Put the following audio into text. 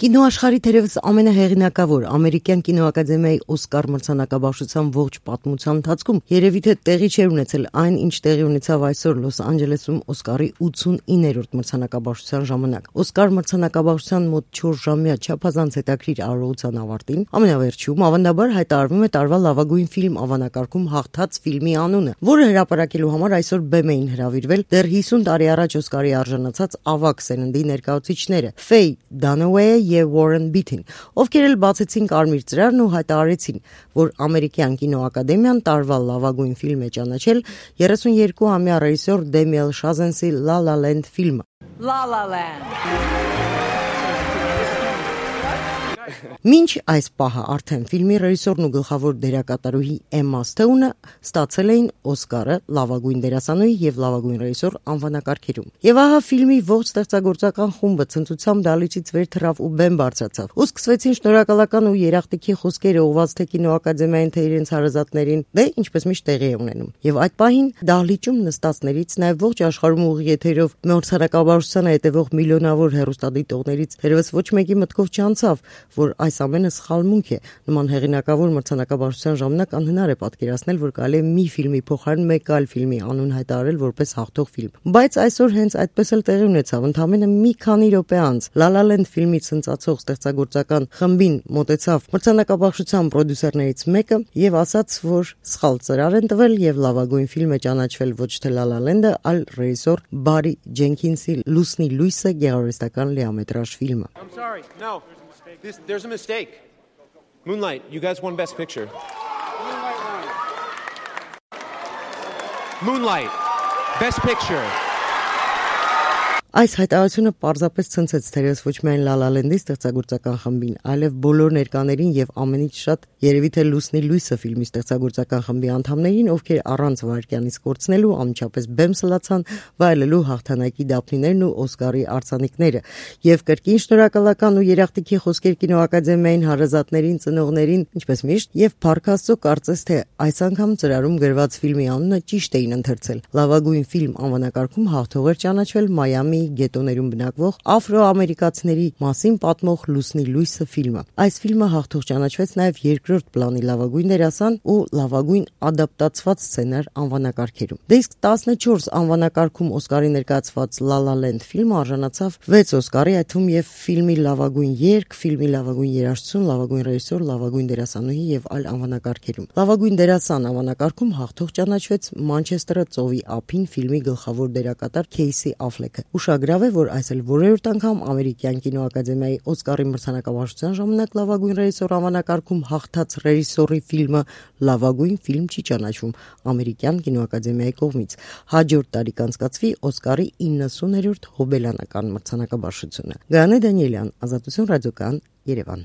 Կինոաշխարհի թերևս ամենահեղինակավոր ամերիկյան կինոակադեմիայի Օսկար մրցանակաբաշխության ողջ պատմության ընթացքում երևի թե տեղի չէր ունեցել այն, ինչ տեղի ունեցավ այսօր Լոս Անջելեսում Օսկարի 89-րդ մրցանակաբաշխության ժամանակ։ Օսկար մրցանակաբաշխության մոտ 4-ժամյա չափազանց հետաքրքիր արարողության ավարտին ամենավերջում ավանդաբար հայտարարվում է տարվա լավագույն ֆիլմ անվանակարգում հաղթած ֆիլմի անունը, որը հրապարակելու համար այսօր բեմ էին հրավիրվել դեռ 50 տարի առաջ Օսկարի արժանացած ավագ սերնդի ներկայացուցիչները Ֆեյ Դանոուեյը եւ Warren Beatty-ն, ովքեր էլ բացեցին կարմիր ծրարն ու հայտարարեցին, որ ամերիկյան կինոակադեմիան տարվա լավագույն ֆիլմ է ճանաչել 32-ամյա ռեժիսոր Դեմիել Շազենսի La La Land ֆիլմը։ La La Land. Մինչ այս պահը արդեն ֆիլմի ռեժիսորն ու գլխավոր դերակատարուհի Էմմա Սթոունը ստացել էին Օսկարը լավագույն դերասանուհի եւ լավագույն ռեժիսոր անվանակարգերում։ Եվ ահա ֆիլմի ողջ ստեղծագործական խումբը ցնծությամբ դալիճից վեր թռավ ու բեմ բարձրացավ։ Ու սկսվեցին շնորհակալական ու երախտիկի խոսքերը ուղղված թե կինոակադեմիային, թե իրենց հարազատներին, դե ինչպես միշտ տեղի է ունենում։ Եվ այդ պահին դահլիճում նստածներից նաեւ ողջ աշխարհում ուղիղ եթերով մրցանակաբաշխությանը հետևող միլիոնավոր հեռուստադիտողներից թերևս ոչ մեկի մտքով չանցավ, որ այս ամենը սխալմունք է։ Նման հեղինակավոր մրցանակաբաշխության ժամանակ անհնար է պատկերացնել, որ կարելի է մի ֆիլմի փոխարեն մեկ այլ ֆիլմի անուն հայտարարել որպես հաղթող ֆիլմ։ Բայց այսօր հենց այդպես էլ տեղի ունեցավ։ Ընդամենը մի քանի րոպե անց La La Land ֆիլմի ցնծացող ստեղծագործական խմբին մոտեցավ մրցանակաբաշխության պրոդյուսերներից մեկը եւ ասաց, որ սխալ ծրար են տվել եւ լավագույն ֆիլմ է ճանաչվել ոչ թե La La Land-ը, այլ ռեժիսոր Բարի Ջենքինսի Լուսնի լույսը գեղարվեստական լիամետրաժ ֆիլմը։ I'm sorry. No. There's a mistake. Moonlight, you guys won Best Picture. Moonlight, Best Picture. Այս հայտարարությունը պարզապես ցնցեց թերևս ոչ միայն La La Land-ի ստեղծագործական խմբին, այլև բոլոր ներկաներին եւ ամենից շատ երևի թե Լուսնի լույսը ֆիլմի ստեղծագործական խմբի անդամներին, ովքեր առանց վայրկյանից կորցնելու անմիջապես բեմ սլացան վայելելու հաղթանակի դափնիներն ու Օսկարի արձանիկները։ Եվ կրկին շնորհակալական ու երախտիկի խոսքեր կինոակադեմիային հարազատներին, ծնողներին, ինչպես միշտ, եւ Փառք Աստծո կարծես թե այս անգամ ծրարում գրված ֆիլմի անունը ճիշտ էին ընթերցել։ Լավագույն ֆիլմ անվանակարգում հաղթող էր ճանաչվել Մայամի գետոներում բնակվող աֆրոամերիկացիների մասին պատմող Լուսնի լույսը ֆիլմը։ Այս ֆիլմը հաղթող ճանաչվեց նաև երկրորդ պլանի լավագույն դերասան ու լավագույն ադապտացված սցենար անվանակարգերում։ Դե իսկ 14 անվանակարգում Օսկարի ներկայացված La La Land ֆիլմը արժանացավ 6 Օսկարի, այդ թվում եւ ֆիլմի լավագույն երգ, ֆիլմի լավագույն երաժշտություն, լավագույն ռեժիսոր, լավագույն դերասանուհի եւ այլ անվանակարգերում։ Լավագույն դերասան անվանակարգում հաղթող ճանաչվեց Մանչեսթերը ծովի ափին ֆիլմի գլխավոր դերակատար Քեյսի Աֆլեքը։ Ուշագրավ է, որ այս էլ որևէ անգամ ամերիկյան կինոակադեմիայի Օսկարի մրցանակաբաշխության ժամանակ լավագույն ռեժիսոր անվանակարգում հաղթած ռեժիսորի ֆիլմը լավագույն ֆիլմ չի ճանաչվում ամերիկյան կինոակադեմիայի կողմից։ Հաջորդ տարի կանցկացվի Օսկարի 90-րդ հոբելյանական մրցանակաբաշխությունը։ Գայանե Դանիելյան, Ազատություն ռադիոկայան, Երևան։